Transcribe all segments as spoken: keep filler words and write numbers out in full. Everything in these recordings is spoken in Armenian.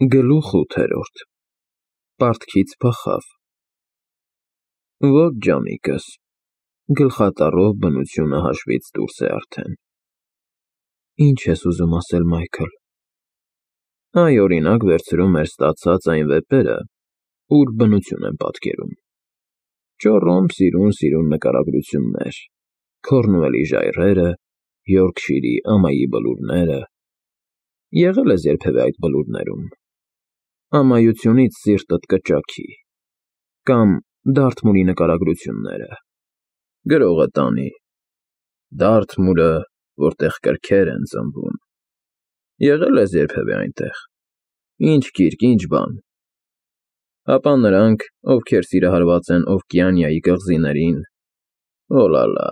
Գլուխ ութերորդ Պարտքից փախավ։ Ոչ ջանիկս, գլխատառով բնությունը հաշվից դուրս է արդեն։ Ինչ ես ուզում ասել, Մայքլ։ Այ, օրինակ, վերցրու մեր ստացած այն վեպերը, ուր բնություն եմ պատկերում. Ճոռոմ սիրուն֊սիրուն նկարագրություններ, Քորնուելի ժայռերը, Յորքշիրի ամայի բլուրները։ Եղե՞լ ես երբևէ այդ բլուրներում։ Ամայությունից սիրտդ կճաքի։ Կամ Դարթմուրի նկարագրությունները, գրողը տանի, Դարթմուրը, որտեղ կրքեր են ծնվում։ Եղե՞լ ես երբևէ այնտեղ։ Ինչ գիրք, ինչ բան։ Ապա նրանք, ովքեր սիրահարված են Օվկիանիայի կղզիներին, օլալա,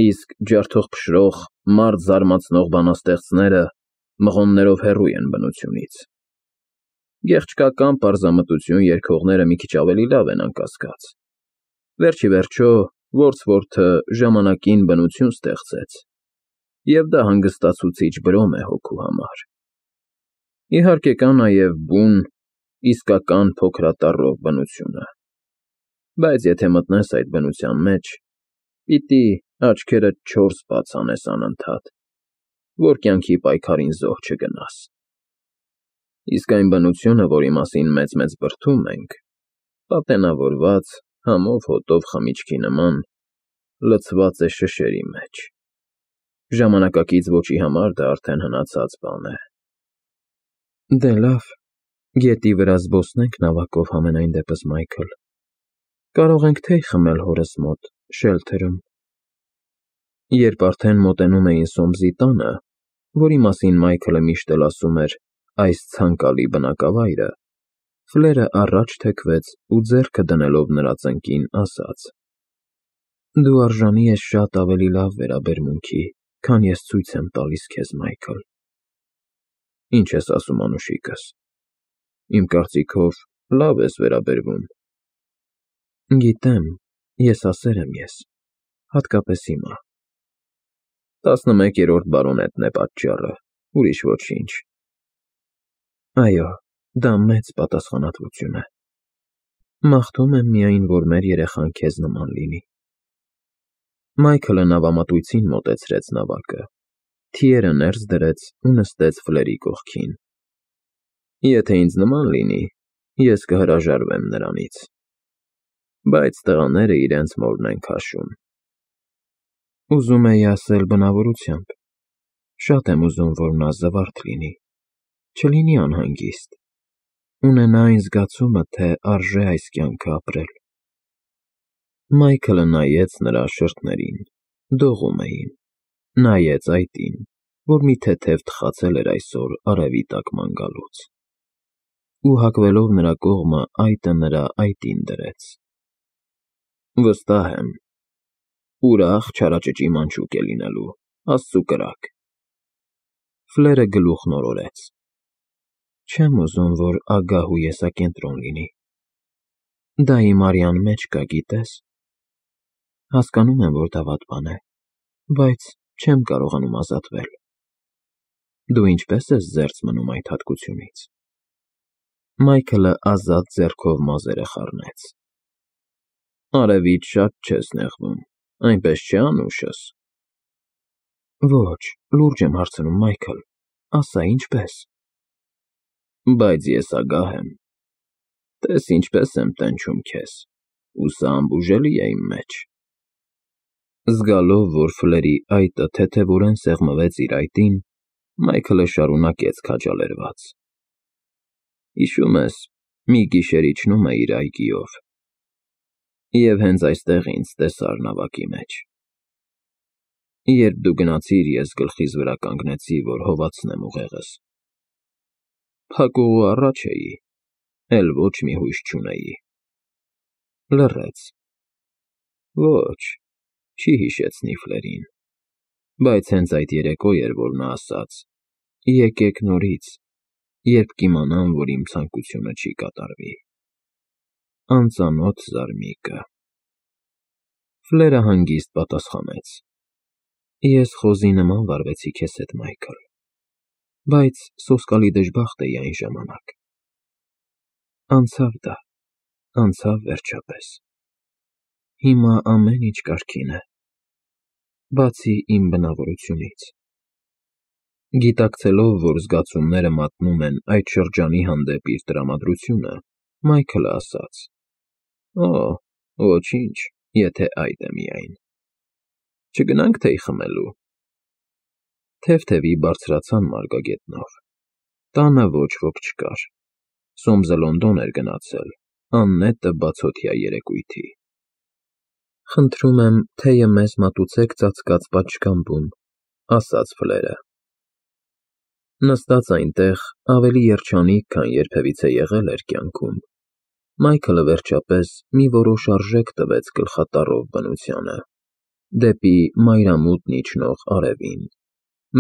իսկ ջարդող֊փշրող, մարդ զարմացնող բանաստեղծները մղոններով հեռու են բնությունից։ Գեղչկական պարզամտություն երգողները մի քիչ ավելի լավ են, անկասկած։ Վերջ ի վերջո, Որդսվորթը ժամանակին բնություն ստեղծեց, և դա հանգստացուցիչ брոմ է հոգու համար։ Իհարկե կա նաև բուն, իսկական փոքրատառով բնությունը, բայց եթե մտնես այդ բնության մեջ, պիտի աչքերդ չորս բաց անես անընդհատ, որ կյանքի պայքարին զոհ չգնաս։ Իսկ այն բնությունը, որի մասին մեծ֊մեծ բրդում ենք, պատենավորված, համով֊հոտով խմիչքի նման, լցված է շշերի մեջ։ Ժամանակակից ոճի համար դա արդեն հնացած բան է։ Դե լավ, գետի վրա զբոսնենք նավակով համենայն դեպս, Մայքլ։ Կարող ենք թեյ խմել հորս մոտ, շելթերում։ Երբ արդեն մոտենում էին Սոմսի տանը, որի մասին Մայքլը միշտ էլ ասում էր այս ցանկալի բնակավայրը, Ֆլերը առաջ թեքվեց ու ձեռքը դնելով նրա ծնկին, ասաց. Դու արժանի ես շատ ավելի լավ վերաբերմունքի, քան ես ցույց եմ տալիս քեզ, Մայքլ։ Ինչ ես ասում, անուշիկս։ Իմ կարծիքով, լավ ես վերաբերվում։ Գիտեմ, եսասեր եմ ես, հատկապես հիմա։ Տասնմեկերորդ բարոնետն է պատճառը, ուրիշ ոչինչ։ Այո, դա մեծ պատասխանատվություն է։ Մաղթում եմ միայն, որ մեր երեխան քեզ նման լինի։ Մայքլը նավամատույցին մոտեցրեց նավակը, թիերը ներս դրեց ու նստեց Ֆլերի կողքին։ Եթե ինձ նման լինի, ես կհրաժարվեմ նրանից։ Բայց տղաները իրենց մորն են քաշում։ Ուզում էի ասել բնավորությամբ։ Շատ եմ ուզում, որ նա զվարթ լինի, չլինի անհանգիստ, ունենա այն զգացումը, թե արժե այս կյանքը ապրել։ Մայքլը նայեց նրա շրթերին, դողում էին, նայեց այտին, որ մի թեթև թխացել էր այսօր արևի տակ ման գալուց, ու հակվելով նրա կողմը այտը նրա այտին դրեց։ Վստահ եմ, ուրախ չարաճճի մանչուկ է լինելու, աստծու կրակ։ Ֆլերը գլուխն օրորեց։ Չեմ ուզում, որ ագահ ու եսակենտրոն լինի։ Դա իմ արյան մեջ կա, գիտես։ Հասկանում եմ, որ դա վատ բան է, բայց չեմ կարողանում ազատվել։ Դու ինչպե՞ս ես զերծ մնում այդ հատկությունից։ Մայքլը ազատ ձեռքով մազերը խառնեց։ Արևից շատ չես նեղվում, այնպես չէ՞, անուշս։ Ոչ, լուրջ եմ հարցնում, Մայքլ, ասա, ինչպե՞ս։ Բայց ես ագահ եմ։ Տես ինչպես եմ տենչում քեզ, ու սա անբուժելի է իմ մեջ։ Զգալով, որ Ֆլերի այտը թեթևորեն սեղմվեց իր այտին, Մայքլը շարունակեց քաջալերված. Հիշում ես, մի գիշեր իջնում էիր այգիով, և հենց այստեղ ինձ տեսար նավակի մեջ։ Երբ դու գնացիր, ես գլխիս վրա կանգնեցի, որ հովացնեմ ուղեղս։ Փակուղու առաջ էի, էլ ոչ մի հույս չունեի։ Լռեց։ Ոչ, չի հիշեցնի Ֆլերին, բայց հենց այդ երեկո էր, որ նա ասաց. եկեք նորից, երբ կիմանամ, որ իմ ցանկությունը չի կատարվի։ Անծանոթ զարմիկը։ Ֆլերը հանգիստ պատասխանեց. Ես խոզի նման վարվեցի քեզ հետ, Մայքլ։ Բայց սոսկալի դժբախտ էի այն ժամանակ։ Անցավ դա, անցավ վերջապես։ Հիմա ամեն ինչ կարգին է, բացի իմ բնավորությունից։ Գիտակցելով, որ զգացումները մատնում են այդ շրջանի հանդեպ իր տրամադրությունը, Մայքլը ասաց. «Օ, ոչինչ, եթե այդ է միայն։ Չգնա՞նք թեյ խմելու»։ Թեթևի բարձրացան մարգագետնով։ Տանը ոչ ոք չկար։ Սոմսը Լոնդոն էր գնացել, աննետը բացօթյա երեկույթի։ «Խնդրում եմ, թեյը մեզ մատուցեք ծածկած պատշգամբում», ասաց Ֆլերը։ Նստած այնտեղ, ավելի երջանիկ, քան երբևիցե եղել էր կյանքում, Մայքլը վերջապես մի որոշ արժեք տվեց գլխատառով բնությանը, դեպի մայրամուտն իջնող արևին,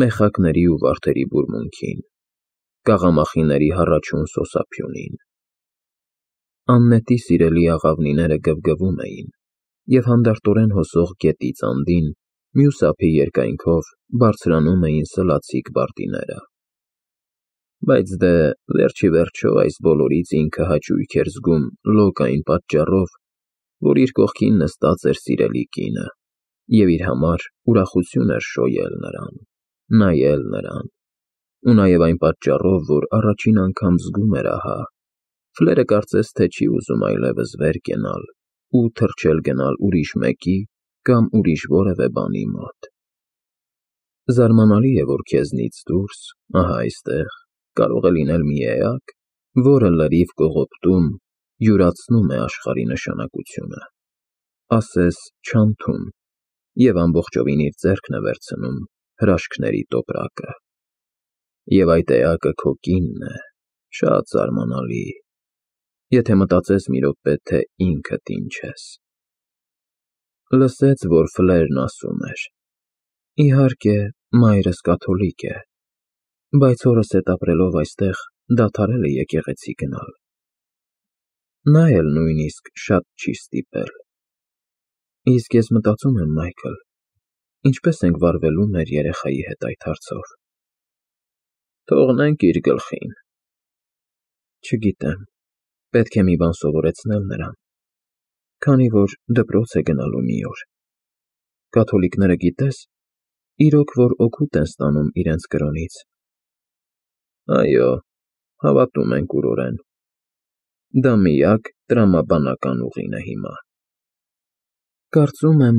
մեխակների ու վարդերի բուրմունքին, կաղամախիների հառաչուն սոսափյունին։ Աննետի սիրելի աղավնիները գվգվում էին, և հանդարտորեն հոսող գետից անդին, մյուս ափի երկայնքով բարձրանում էին սլացիկ բարտիները։ Բայց դե, վերջիվերջո, այս բոլորից ինքը հաճույք էր զգում լոկ այն պատճառով, որ իր կողքին նստած էր սիրելի կինը, և իր համար ուրախություն էր շոյել նրան, նայել նրան, ու նաև այն պատճառով, որ առաջին անգամ զգում էր ահա, Ֆլերը կարծես թե չի ուզում այլևս վեր կենալ ու թռչել գնալ ուրիշ մեկի կամ ուրիշ որևէ բանի մոտ։ Զարմանալի է, որ քեզնից դուրս, ահա այստեղ, կարող է լինել մի էակ, որը լրիվ կողոպտում, յուրացնում է աշխարհի նշանակությունը, ասես չանթում, և ամբողջովին իր ձեռքն է վերցնում հրաշքների տոպրակը։ Եվ այդ էակը քո կինն է, շատ զարմանալի, եթե մտածես մի րոպե, թե ինքդ ինչ ես։ Լսեց, որ Ֆլերն ասում էր. «Իհարկե, մայրս կաթոլիկ է, բայց հորս հետ ապրելով այստեղ դադարել է եկեղեցի գնալ։ Նա էլ նույնիսկ շատ չի ստիպել։ Իսկ ես մտածում եմ, Մայքլ, ինչպե՞ս ենք վարվելու մեր երեխայի հետ այդ հարցով»։ Թողնենք իր գլխին։ Չգիտեմ, պետք է մի բան սովորեցնել նրան, քանի որ դպրոց է գնալու մի օր։ Կաթոլիկները, գիտես, իրոք որ օգուտ են ստանում իրենց կրոնից։ Այո, հավատում են կուրորեն։ Դա միակ տրամաբանական ուղին է հիմա։ Կարծում եմ,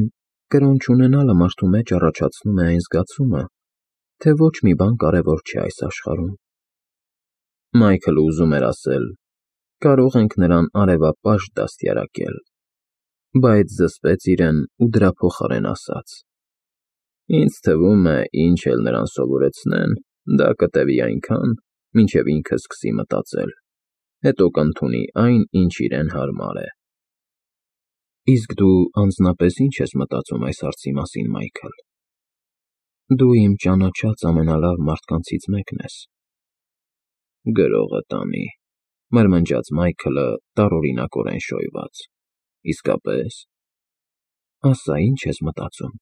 կրոն չունենալը մարդու մեջ առաջացնում է այն զգացումը, թե ոչ մի բան կարևոր չէ այս աշխարհում։ Մայքլը ուզում էր ասել. կարող ենք նրան արևապաշտ դաստիարակել, բայց զսպեց իրեն ու դրա փոխարեն ասաց. Ինձ թվում է, ինչ էլ նրան սովորեցնեն, դա կտևի այնքան, մինչև ինքը սկսի մտածել, հետո կընդունի այն, ինչ իրեն հարմար է։ Իսկ դու անձնապես ինչ ես մտածում այս հարցի մասին, Մայքլ։ Դու իմ ճանաչած ամենալավ մարդկանցից մեկն ես։ Գրողը տանի, մրմնջաց Մայքլը տարօրինակորեն շոյված։ Իսկապես։ Ասա, ինչ ես մտածում։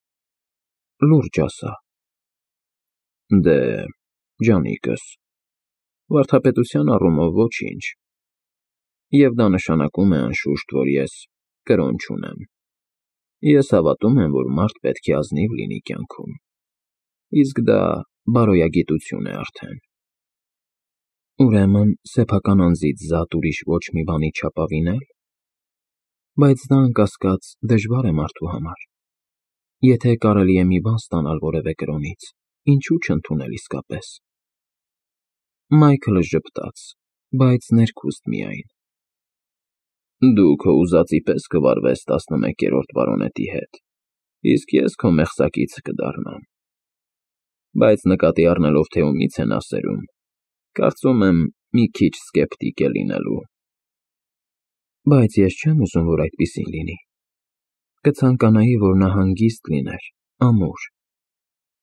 Լուրջ ասա։ Դե, ջանիկս, վարդապետության առումով ոչինչ։ Եվ դա նշանակում է անշուշտ, որ ես կրոն չունեմ։ Ես հավատում եմ, որ մարդ պետք է ազնիվ լինի կյանքում, իսկ դա բարոյագիտություն է արդեն։ Ուրեմն, սեփական անձից զատ ուրիշ ոչ մի բանի չապավինե՞լ։ Բայց դա, անկասկած, դժվար է մարդու համար։ Եթե կարելի է մի բան ստանալ որևէ կրոնից, ինչու չընդունել իսկապես։ Մայքլը ժպտաց, բայց ներքուստ միայն։ Դու քո ուզածի պես կվարվես տասնմեկերորդ բարոնետի հետ, իսկ ես քո մեղսակիցը կդառնամ։ Բայց նկատի առնելով, թե ումից է նա սերում, կարծում եմ, մի քիչ սկեպտիկ է լինելու։ Բայց ես չեմ ուզում, որ այդպիսին լինի։ Կցանկանայի, որ նա հանգիստ լիներ, ամուր,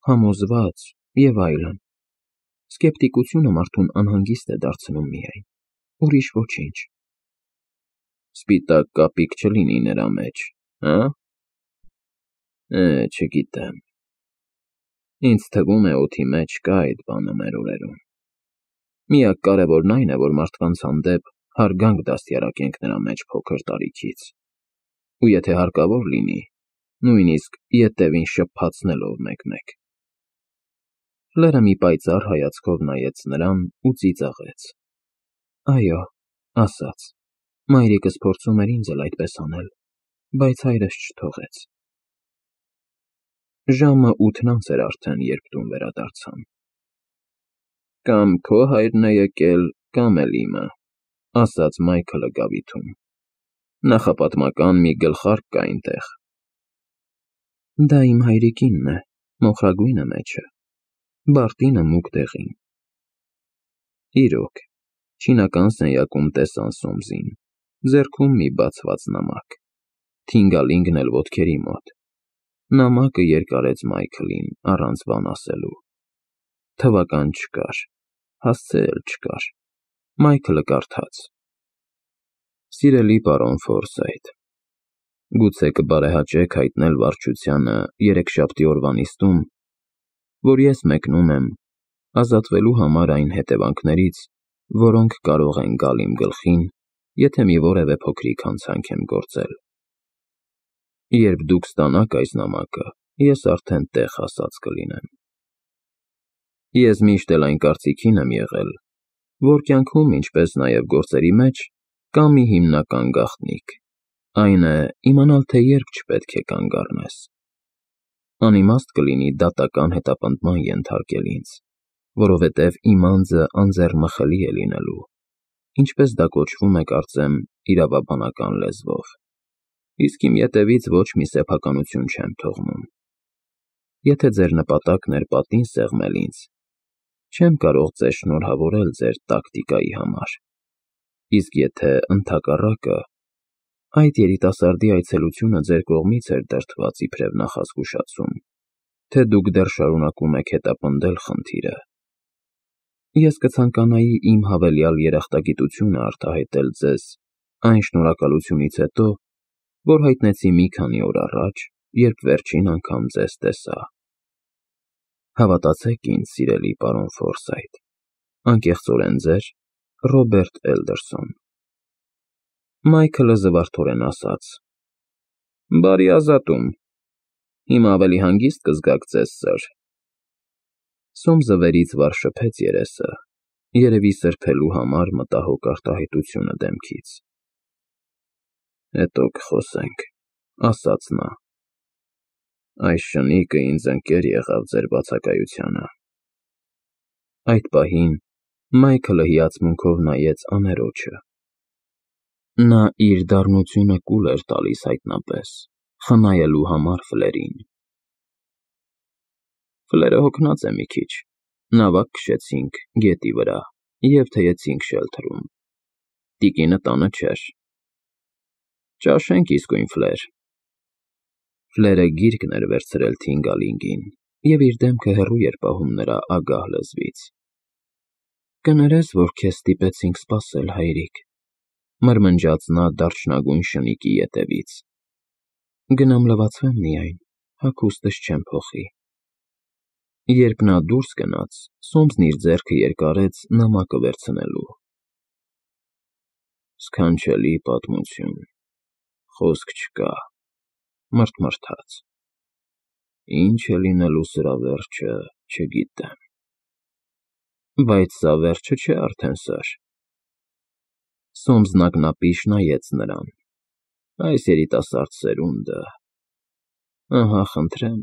համոզված և այլն։ Սկեպտիկությունը մարդուն անհանգիստ է դարձնում միայն, ուրիշ ոչինչ։ Սպիտակ կապիկ չլինի նրա մեջ, հա՞։ Է, չգիտեմ։ Ինձ թվում է, օդի մեջ կա այդ բանը մեր օրերում։ Միակ կարևորն այն է, որ մարդկանց հանդեպ հարգանք դաստիարակենք նրա մեջ փոքր տարիքից, ու եթե հարկավոր լինի, նույնիսկ ետևին շփփացնելով մեկ֊մեկ։ Ֆլերը մի պայծառ հայացքով նայեց նրան ու ծիծաղեց։ Այո, ասաց, մայրիկս փորձում էր ինձ էլ այդպես անել, բայց հայրս չթողեց։ Ժամը ութն անց էր արդեն, երբ տուն վերադարձան։ Կամ քո հայրն է եկել, կամ էլ իմը, ասաց Մայքլը գավիթում։ Նախապատմական մի գլխարկ կա այնտեղ։ Դա իմ հայրիկինն է, մոխրագույնը մեջը, բարտինը մուգ դեղին։ Իրոք, չինական սենյակում տեսան Սոմսին, ձեռքում մի բացված նամակ, թինգալինգն էլ ոտքերի մոտ։ Նամակը երկարեց Մայքլին առանց բան ասելու։ Թվական չկար, հասցե էլ չկար։ Մայքլը կարդաց. Սիրելի պարոն Ֆորսայթ, գուցե կբարեհաճեք հայտնել վարչությանը երեքշաբթի օրվա նիստում, որ ես մեկնում եմ ազատվելու համար այն հետևանքներից, որոնք կարող են գալ իմ գլխին, եթե մի որևէ փոքրիկ հանցանք եմ գործել։ Երբ դուք ստանաք այս նամակը, ես արդեն տեղ հասած կլինեմ։ Ես միշտ էլ այն կարծիքին եմ եղել, որ կյանքում, ինչպես նաև գործերի մեջ, կա մի հիմնական գաղտնիք, այն է իմանալ, թե երբ չպետք է կանգ առնես։ Անիմաստ կլինի դատական հետապնդման ենթարկել ինձ, որովհետև իմ անձը անձեռմխելի է լինելու, ինչպես դա կոչվում է, կարծեմ, իրավաբանական լեզվով, իսկ իմ ետևից ոչ մի սեփականություն չեմ թողնում։ Եթե ձեր նպատակն էր պատին սեղմել ինձ, չեմ կարող ձեզ շնորհավորել ձեր տակտիկայի համար, իսկ եթե ընդհակառակը, այդ երիտասարդի այցելությունը ձեր կողմից էր դրդված իբրև նախազգուշացում, թե դուք դեռ շարունակում եք հետապնդել խնդիրը, ես կցանկանայի իմ հավելյալ երախտագիտությունը արտահայտել ձեզ այն շնորհակալությունից հետո, որ հայտնեցի մի քանի օր առաջ, երբ վերջին անգամ ձեզ տեսա։ Հավատացեք ինձ, սիրելի պարոն Ֆորսայթ, անկեղծորեն ձեր Ռոբերտ Էլդերսոն։ Մայքլը զվարթորեն ասաց. Բարի ազատում, հիմա ավելի հանգիստ կզգաք ձեզ, սըր։ Սոմսը վերից վար շփեց երեսը, երևի սրբելու համար մտահոգ արտահայտությունը դեմքից։ Հետո կխոսենք, ասաց նա։ Այս շնիկը ինձ ընկեր եղավ ձեր բացակայությանը։ Այդ պահին Մայքլը հիացմունքով նայեց աներոջը։ Նա իր դառնությունը կուլ էր տալիս հայտնապես, խնայելու համար Ֆլերին։ Ֆլերը հոգնած է մի քիչ, նավակ քշեցինք գետի վրա և թեյեցինք շելթրում։ Տիկինը տանը չէր։ Ճաշենք իսկույն, Ֆլեր։ Ֆլերը գիրկն էր վերցրել Թինգալինգին, և իր դեմքը հեռու էր պահում նրա ագահ լեզվից։ Կներես, որ քեզ ստիպեցինք սպասել, հայրիկ, մրմնջաց նա դարչնագույն շնիկի ետևից։ Գնամ լվացվեմ միայն, հագուստս չեմ փոխի։ Երբ նա դուրս գնաց, Սոմսն իր ձեռքը երկարեց նամակը վերցնելու։ Սքանչելի պատմություն, խոսք չկա, մռթմռթաց։ Ինչ է լինելու սրա վերջը, չգիտեմ։ Բայց սա վերջը չէ արդեն, սըր։ Սոմսն ակնապիշ նայեց նրան։ Այս երիտասարդ սերունդը… Ահա, խնդրեմ,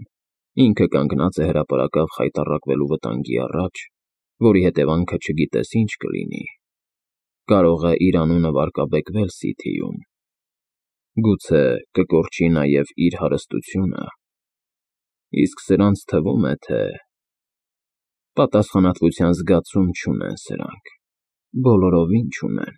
ինքը կանգնած է հրապարակավ խայտառակվելու վտանգի առաջ, որի հետևանքը չգիտես ինչ կլինի, կարող է իր անունը վարկաբեկվել Սիթիում, գուցե կկորչի նաև իր հարստությունը, իսկ սրանց թվում է, թե… Պատասխանատվության զգացում չունեն սրանք, բոլորովին չունեն։